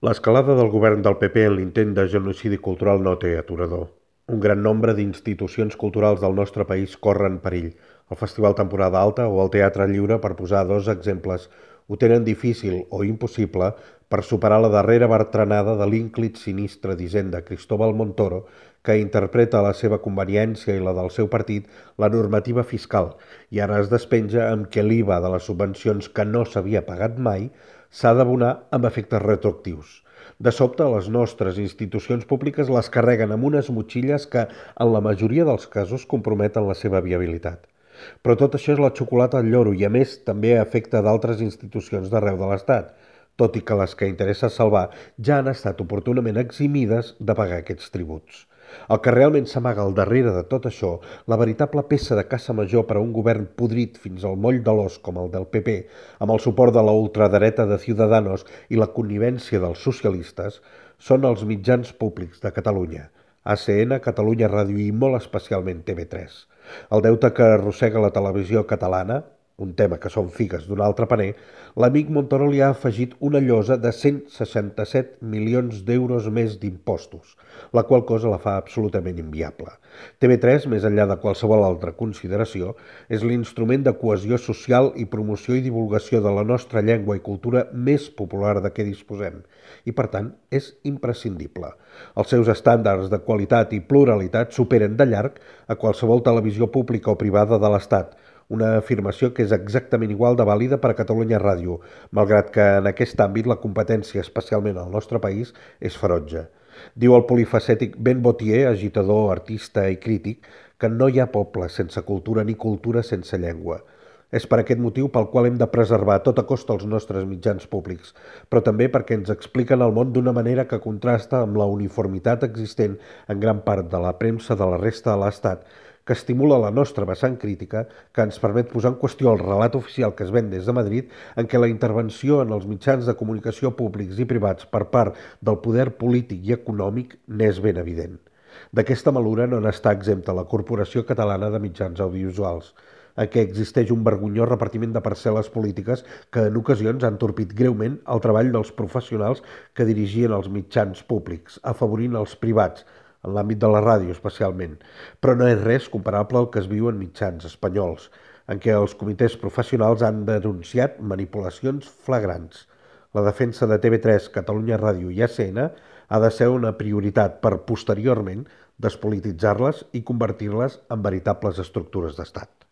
L'escalada del govern del PP en l'intent de genocidi cultural no té aturador. Un gran nombre d'institucions culturals del nostre país corren perill. El Festival Temporada Alta o el Teatre Lliure, per posar dos exemples, ho tenen difícil o impossible per superar la darrera bertranada de l'ínclit sinistre d'Hisenda Cristóbal Montoro, que interpreta a la seva conveniència i la del seu partit la normativa fiscal i ara es despenja amb que l'IVA de les subvencions que no s'havia pagat mai s'ha d'abonar amb efectes retroactius. De sobte, les nostres institucions públiques les carreguen amb unes motxilles que, en la majoria dels casos, comprometen la seva viabilitat. Però tot això és la xocolata al lloro i, a més, també afecta d'altres institucions d'arreu de l'Estat, tot i que les que interessa salvar ja han estat oportunament eximides de pagar aquests tributs. El que realment s'amaga al darrere de tot això, la veritable peça de caça major per a un govern podrit fins al moll de l'os com el del PP, amb el suport de la ultradreta de Ciudadanos i la connivència dels socialistes, són els mitjans públics de Catalunya, ACN, Catalunya Ràdio i molt especialment TV3. El deute que arrossega la televisió catalana, un tema que són figues d'un altre paner, l'amic Montoro li ha afegit una llosa de 167 milions d'euros més d'impostos, la qual cosa la fa absolutament inviable. TV3, més enllà de qualsevol altra consideració, és l'instrument de cohesió social i promoció i divulgació de la nostra llengua i cultura més popular de què disposem, i per tant és imprescindible. Els seus estàndards de qualitat i pluralitat superen de llarg a qualsevol televisió pública o privada de l'Estat, una afirmació que és exactament igual de vàlida per a Catalunya Ràdio, malgrat que en aquest àmbit la competència, especialment al nostre país, és ferotge. Diu el polifacètic Ben Botier, agitador, artista i crític, que no hi ha poble sense cultura ni cultura sense llengua. És per aquest motiu pel qual hem de preservar a tota costa els nostres mitjans públics, però també perquè ens expliquen el món d'una manera que contrasta amb la uniformitat existent en gran part de la premsa de la resta de l'Estat, que estimula la nostra vessant crítica, que ens permet posar en qüestió el relat oficial que es ven des de Madrid, en què la intervenció en els mitjans de comunicació públics i privats per part del poder polític i econòmic n'és ben evident. D'aquesta malura no n'està exempta la Corporació Catalana de Mitjans Audiovisuals, en què existeix un vergonyós repartiment de parcel·les polítiques que en ocasions han torpit greument el treball dels professionals que dirigien els mitjans públics, afavorint els privats, en l'àmbit de la ràdio especialment, però no és res comparable al que es viu en mitjans espanyols, en què els comitès professionals han denunciat manipulacions flagrants. La defensa de TV3, Catalunya Ràdio i ACN ha de ser una prioritat per, posteriorment, despolititzar-les i convertir-les en veritables estructures d'estat.